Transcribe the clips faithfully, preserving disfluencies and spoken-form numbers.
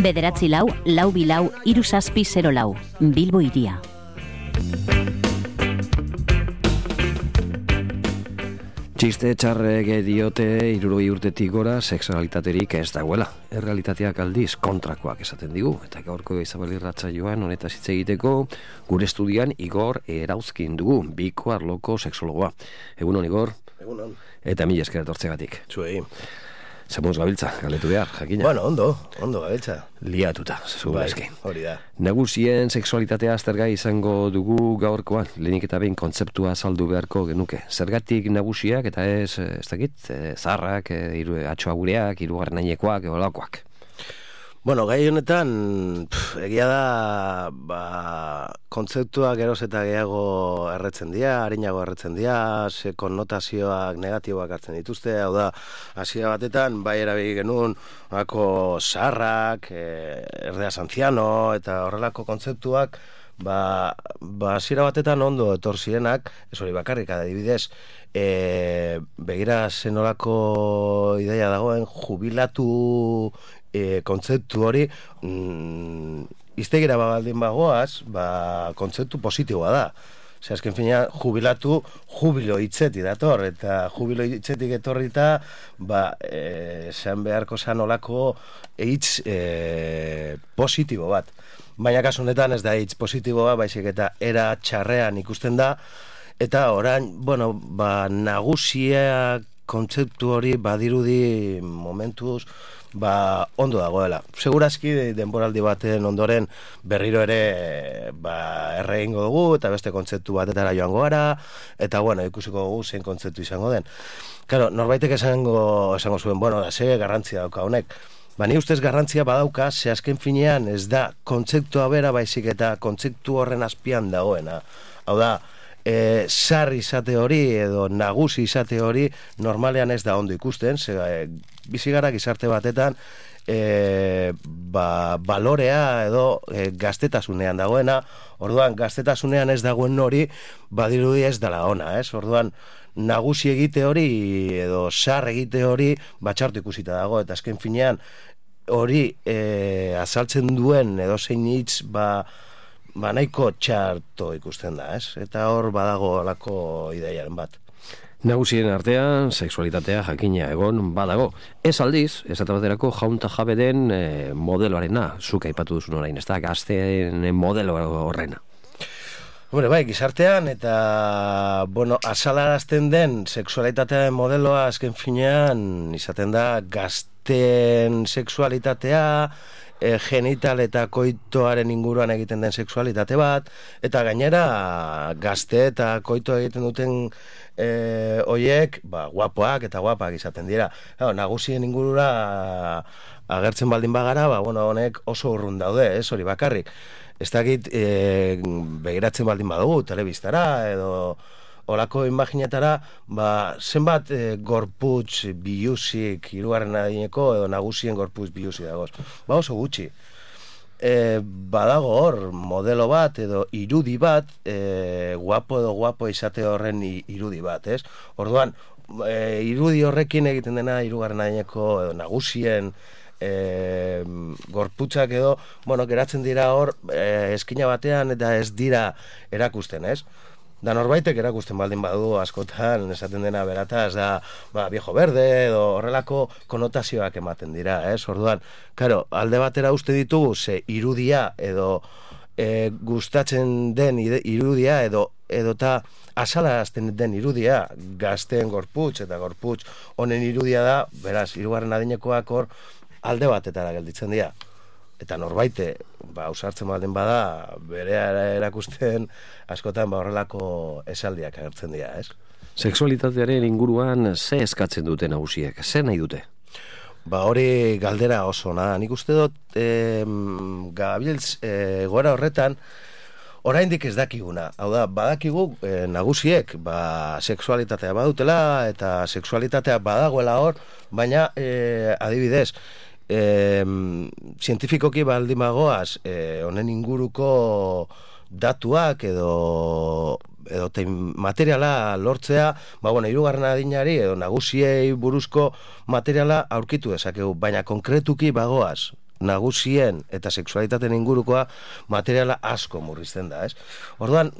Bederatzi lau, lau bilau, hiru zazpi zero lau. Bilbo Hiria. Txiste txarrek diote hirurogei urtetik gora sexualitaterik ez dagoela. Errealitateak aldiz kontrakoak esaten digu. Eta gaurko Izabel irratsaioan honetaz hitz egiteko gure estudian Igor Erauzkin dugu, biko arloko sexologoa. Egunon, Igor? Egunon. Eta mila esker etortzegatik. Zuei. Zemuz gabiltza, galetu behar, jakina. Bueno, ondo, ondo gabiltza. Liatuta, zuela eski. Hori da. Nagusien sexualitatea aztergai izango dugu gaurkoan, lehenik eta behin kontzeptua azaldu beharko genuke. Zergatik nagusiak eta ez, ez dakit, zarrak, iru, atxoagureak, hirugarren ainekoak, olakoak. Bueno, gai honetan, pff, egia da, ba, kontzeptuak geroz eta gehiago erretzen dira, harinago erretzen dira, ze konnotazioak negatiboak hartzen dituzte, hau da, hasiera batetan, bai erabili genuen, horako zaharrak, e, erdeaz antziano, eta horrelako kontzeptuak, ba, ba hasiera batetan ondo etor zirenak, ez hori bakarrik, adibidez, e, begira zenolako ideia dagoen, jubilatu E, kontzeptu hori mm, iztegira baldin bagoaz, ba, kontzeptu positiboa da. Zer, azken fina, jubilatu, jubilo hitzetik dator, eta jubilo hitzetik etorrita, ba, e, esan beharko zan olako hitz e, positibo bat. Baina kasu honetan ez da hitz positiboa, baizik eta era txarrean ikusten da, eta orain, bueno, ba, nagusia kontzeptu hori badirudi momentuz, ba, ondo dagoela. Segurazki denboraldi baten ondoren berriro ere ba, erre egingo dugu eta beste kontzeptu batetara joango gara, eta bueno, ikusiko dugu zein kontzeptu izango den. Claro, norbaitek esango, esango zuen, bueno, da, ze garrantzia dauka honek. Ba, ni ustez garrantzia badauka, ze azken finean ez da kontzeptua bera baizik eta kontzeptu horren azpian dagoena. Hau da, E, sarri izate hori edo nagusi izate hori normalean ez da ondo ikusten, ze e, bizigara gizarte batetan e, ba, balorea edo e, gaztetasunean dagoena, orduan gaztetasunean ez dagoen hori badirudi ez dela ona, ez? Orduan nagusi egite hori edo sar egite hori batxartu ikusita dago, eta azken finean hori e, azaltzen duen edo zein hitz ba ba nahiko txarto ikusten da, ez? Eta hor badago alako ideiaren bat. Nagusien artean, sexualitatea jakina egon badago. Ez aldiz, ez eta baterako jaunta jabe den e, modeloarena, zuk aipatu duzun orain, ez da, gazteen modelo horrena. Hombre, bai, gizartean eta, bueno, azalarazten den sexualitatearen modeloa azken finean izaten da gazteen sexualitatea, E, genital eta koitoaren inguruan egiten den sexualitate bat, eta gainera gazte eta koito egiten duten e, oiek, ba, guapoak eta guapak izaten dira. Claro, nagusien ingurura agertzen baldin bagara, ba, bueno, honek oso urrun daude, ez hori bakarrik. Ez dakit e, begiratzen baldin badugu, telebistara edo olako imaginetara, ba, zenbat e, gorputz biluzik hirugarren adineko edo nagusien gorputz biluzik dagoz. Ba, oso gutxi. E, badago hor modelo bat edo irudi bat, e, guapo edo guapo izate horren irudi bat, ez? Orduan, e, irudi horrekin egiten dena hirugarren adineko edo nagusien e, gorputzak edo, bueno, geratzen dira hor e, eskina batean eta ez dira erakusten, ez? Da norbaitek erakusten baldin badu askotan esaten dena berataz da, ba, viejo verde edo horrelako konotazioak ematen dira, ez? Orduan, claro, alde batera uste ditugu ze irudia edo e, gustatzen den irudia edo edota azalarazten den irudia gazteen gorputz eta gorputz honen irudia da, beraz, hirugarren adinekoak hor alde batetara gelditzen dira. Eta norbaite, ba, ausartzen baldin bada, bere erakusten askotan ba, horrelako esaldiak agertzen dira, ez? Sexualitatearen inguruan ze eskatzen dute nagusiek, ze nahi dute? Ba, hori galdera oso, nada. Nik uste dut, eh, gabiltz, eh, gora horretan, oraindik ez dakiguna. Hau da, badakigu eh, nagusiek, ba, sexualitatea badutela, eta sexualitatea badagoela hor, baina, eh, adibidez, E, zientifikoki baldin bagoaz e, honen inguruko datuak edo edo materiala lortzea, ba bueno, hirugarren adinari edo nagusiei buruzko materiala aurkitu dezakegu, baina konkretuki bagoaz nagusien eta sexualitateen ingurukoa materiala asko murrizten da, ez? Orduan,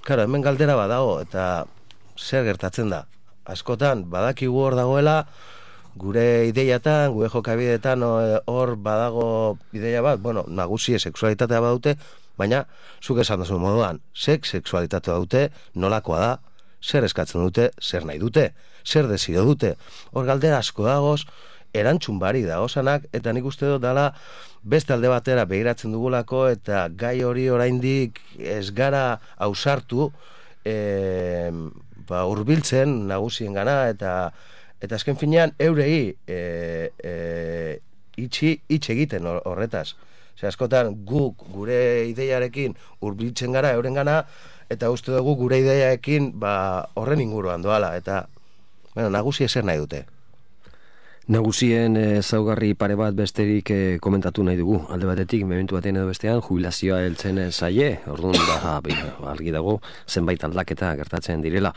claro, hemen galdera badago, eta zer gertatzen da? Askotan, badakigu hor dagoela, gure ideiatan, gure jokabideetan hor badago ideia bat, bueno, nagusie sexualitatea badute, baina, zuk esan duzu moduan, sex sexualitatea dute, nolakoa da, zer eskatzen dute, zer nahi dute, zer desio dute. Hor galdera asko dagoz, erantzun barik dagozanak, eta nik uste dut dala beste alde batera begiratzen dugulako, eta gai hori oraindik ez gara ausartu, e, ba, urbiltzen nagusien gana, eta eta azken finean eurei e, e, itxi, itx egiten horretaz. Zer, askotan guk gure ideiarekin urbiltzen gara euren gana, eta uste dugu gure ideiarekin ba, horren inguruan doala, eta bueno, nagusi ezer nahi dute. Nagusien ezaugarri pare bat besterik eh, komentatu nahi dugu. Alde batetik, momentu batean edo bestean, jubilazioa heltzen zaie, orduan da, argi dago, zenbait aldaketa gertatzen direla.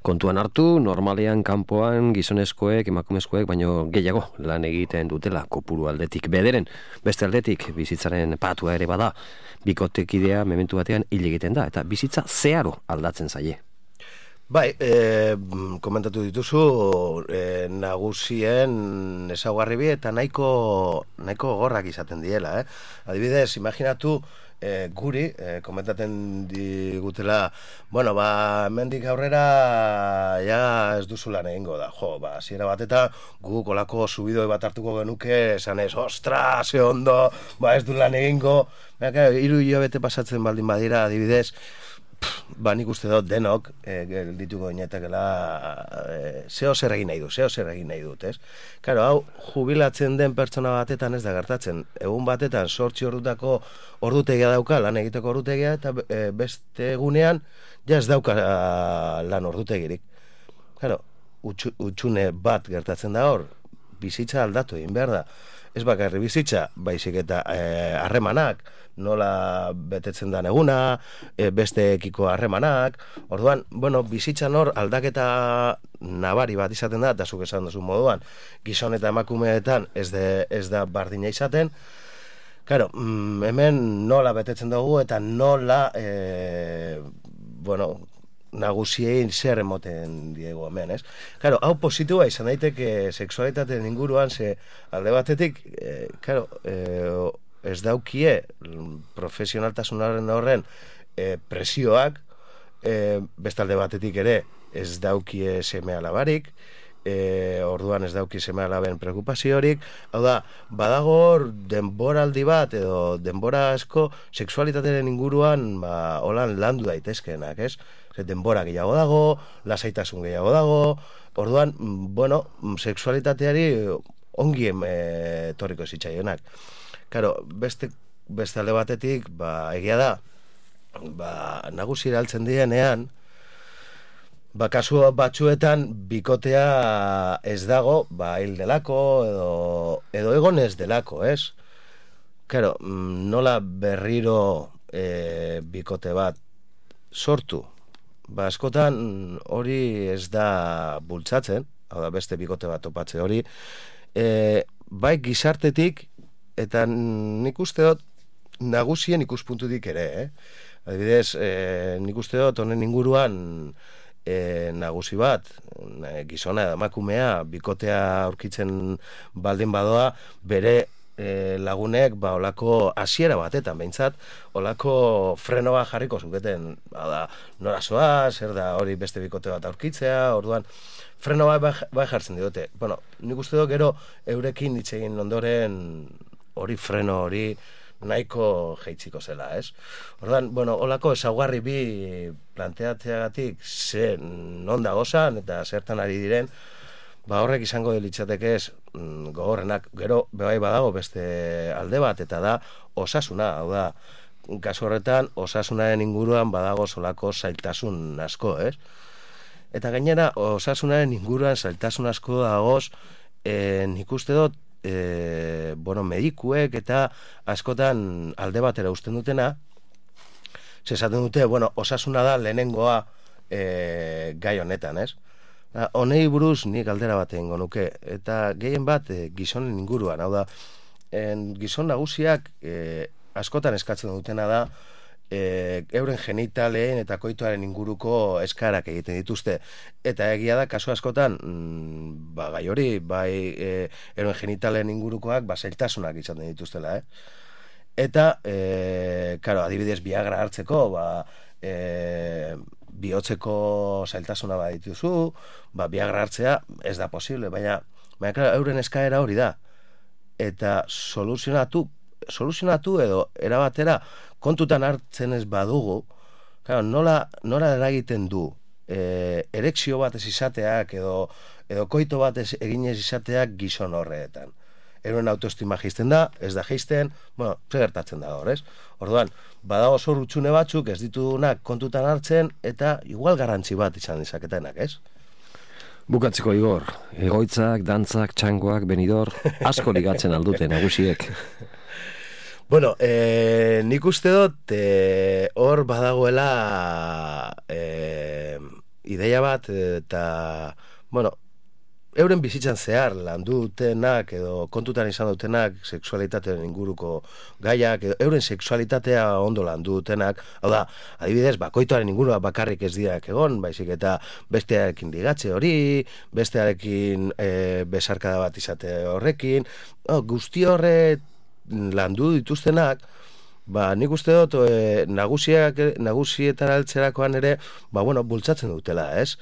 Kontuan hartu, normalean, kanpoan, gizonezkoek, emakumezkoek, baino gehiago lan egiten dutela, kopuru aldetik bederen. Beste aldetik, bizitzaren patua ere bada, bikotekidea momentu batean hil egiten da, eta bizitza zeharo aldatzen zaie. Bai, e, komentatu dituzu e, nagusien ezaugarri bi eta nahiko nahiko gorrak izaten diela, eh? Adibidez, imaginatu e, guri, e, komentaten digutela, bueno, ba, mendik aurrera ja ez duzu lan egingo da, jo, ba, hasiera bateta guk olako subidoi bat hartuko genuke, esan ez, ostra, ze ondo, ba, ez du lan egingo, baina, hiru hilabete pasatzen baldin badira, adibidez, ba, nik uste dut denok e, geldituko inetakela e, zeo zer egin nahi du, zeo zer egin nahi dut, ez? Karo, hau, jubilatzen den pertsona batetan ez da gertatzen. Egun batetan sortzi ordutako ordutegia dauka, lan egiteko ordutegia, eta e, beste egunean, ja ez dauka lan ordutegirik. Karo, utxune bat gertatzen da hor, bizitza aldatu egin behar da. Ez bakarri bizitza, baizik eta harremanak, e, nola betetzen da eguna, e, besteekiko harremanak. Orduan, bueno, bizitzan hor aldaketa nabari bat izaten da, eta zuk esan duzu moduan, gizon eta emakumeetan ez, de, ez da bardina izaten. Claro, mm, hemen nola betetzen dugu eta nola, e, bueno, nagusiein zer emoten diegu hemen, ez? Claro, hau positiboa izan daiteke sexualitateen inguruan, ze alde batetik, e, claro, e, ez daukie profesionaltasunaren horren e, presioak, e, bestalde batetik ere ez daukie seme alabarik, e, orduan ez dauki seme alaben preokupaziorik, hau da, badago hor denboraldi bat edo denbora asko sexualitateen inguruan ba, holan landu daitezkeenak, ez? Denbora gehiago dago, lasaitasun gehiago dago, orduan, bueno, sexualitateari ongi e, torriko zitzaionak. Karo, beste, beste alde batetik, ba, egia da, ba, nagusira altzen dienean, ba, kasu batzuetan bikotea ez dago, ba, hil delako, edo, edo egon ez delako, ez? Karo, nola berriro e, bikote bat sortu? Ba, askotan hori ez da bultzatzen, hau da beste bikote bat topatze hori, e, bai gizartetik, eta nik uste dut nagusien ikuspuntutik ere, eh? Adibidez, e, nik uste dut honen inguruan e, nagusi bat, gizona edo emakumea, bikotea aurkitzen baldin badoa, bere E, lagunek ba olako hasiera batetan behintzat olako frenoa jarriko zuketen, da, nora zoa, zer da hori beste bikote bat aurkitzea, orduan frenoa bai, bai jartzen diote. Bueno, nik uste dut gero eurekin hitz egin ondoren hori freno hori nahiko jeitziko zela, ez? Orduan, bueno, olako ezaugarri bi planteatzeagatik ze non dagozan eta zertan ari diren, ba horrek izango litzateke ez gogorrenak. Gero bai badago beste alde bat, eta da osasuna, hau da, kasu horretan osasunaren inguruan badago solako zailtasun asko, ez? Eta gainera osasunaren inguruan zailtasun asko dagoz, e, nik uste dut, e, bueno, medikuek eta askotan alde batera uzten dutena, zesaten dute, bueno, osasuna da lehenengoa e, gai honetan, ez? Honei buruz nik galdera bat egingo nuke, eta gehien bat e, gizonen inguruan, hau da, en, gizon nagusiak e, askotan eskatzen dutena da e, euren genitaleen eta koitoaren inguruko eskarak egiten dituzte. Eta egia da, kasu askotan, mm, ba, gai hori, bai e, euren genitaleen ingurukoak ba, zailtasunak izaten dituztela, eh? Eta, e, karo, adibidez, Viagra hartzeko, ba, e, bihotzeko zailtasuna bat dituzu, ba, Viagra hartzea ez da posible, baina, baina klar, euren eskaera hori da. Eta soluzionatu, soluzionatu edo erabatera kontutan hartzen ez badugu, klar, nola, nola eragiten du e, erekzio bat ez izateak edo, edo koito bat ez eginez izateak gizon horreetan. Euren autoestima jisten da, ez da jisten, bueno, ze gertatzen da hor, ez? Orduan, badago zor utxune batzuk ez ditudunak kontutan hartzen, eta igual garrantzi bat izan dizaketenak, ez? Bukatzeko, Igor, egoitzak, dantzak, txangoak, benidor, asko ligatzen aldute nagusiek. Bueno, e, nik uste dut, e, hor badagoela e, ideia bat, eta, bueno, euren bizitzan zehar landu dutenak edo kontutan izan dutenak sexualitateen inguruko gaiak, edo euren sexualitatea ondo landu dutenak, hau da, adibidez, bakoitoaren ingurua bakarrik ez diak egon, baizik eta bestearekin ligatze hori, bestearekin e, besarkada bat izate horrekin, oh, guzti horre landu dituztenak, ba, nik uste dut e, nagusiak, nagusietan altzerakoan ere, ba, bueno, bultzatzen dutela, ez?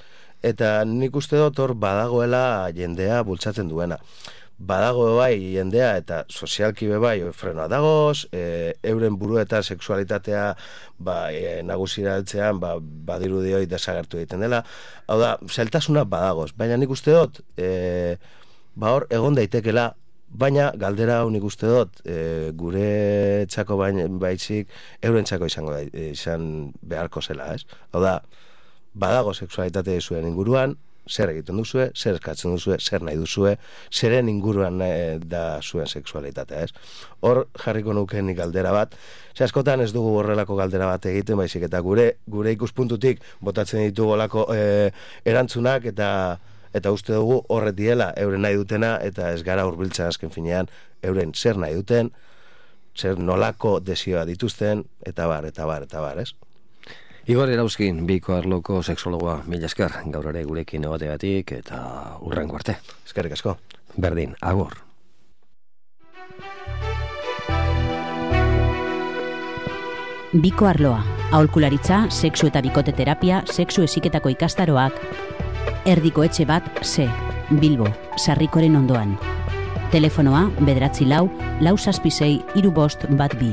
Eta nik uste dut hor badagoela jendea bultzatzen duena. Badago bai jendea eta sozialki be bai frenoa dagoz, e, euren buru eta sexualitatea ba, e, nagusira altzean ba, badirudi hori desagertu egiten dela. Hau da, zailtasuna badagoz, baina nik uste dut e, ba hor egon daitekela, baina galdera hau nik uste dut e, gure txako baitzik euren txako izango da, izan beharko zela, ez? Hau da, badago sexualitate zuen inguruan, zer egiten duzue, zer eskatzen duzue, zer nahi duzue, zeren inguruan e, da zuen sexualitatea, ez? Hor jarriko nuken galdera bat, ze askotan ez dugu horrelako galdera bat egiten, baizik eta gure gure ikuspuntutik botatzen ditugu olako e, erantzunak eta eta uste dugu horret diela euren nahi dutena eta ez gara hurbiltzen azken finean euren zer nahi duten, zer nolako desioa dituzten, eta bar, eta bar, eta bar, ez? Igor Erauzkin, Biko Arloko sexologoa, mila esker, gaur ere gurekin egoteagatik eta hurrengo arte. Eskerrik asko. Berdin, agur. Biko Arloa, aholkularitza, sexu eta bikote terapia, sexu heziketako ikastaroak, Erdiko etxe bat, C, Bilbo, Sarrikoren ondoan. Telefonoa, bederatzi lau, lau zazpi sei, hiru bost bat bi.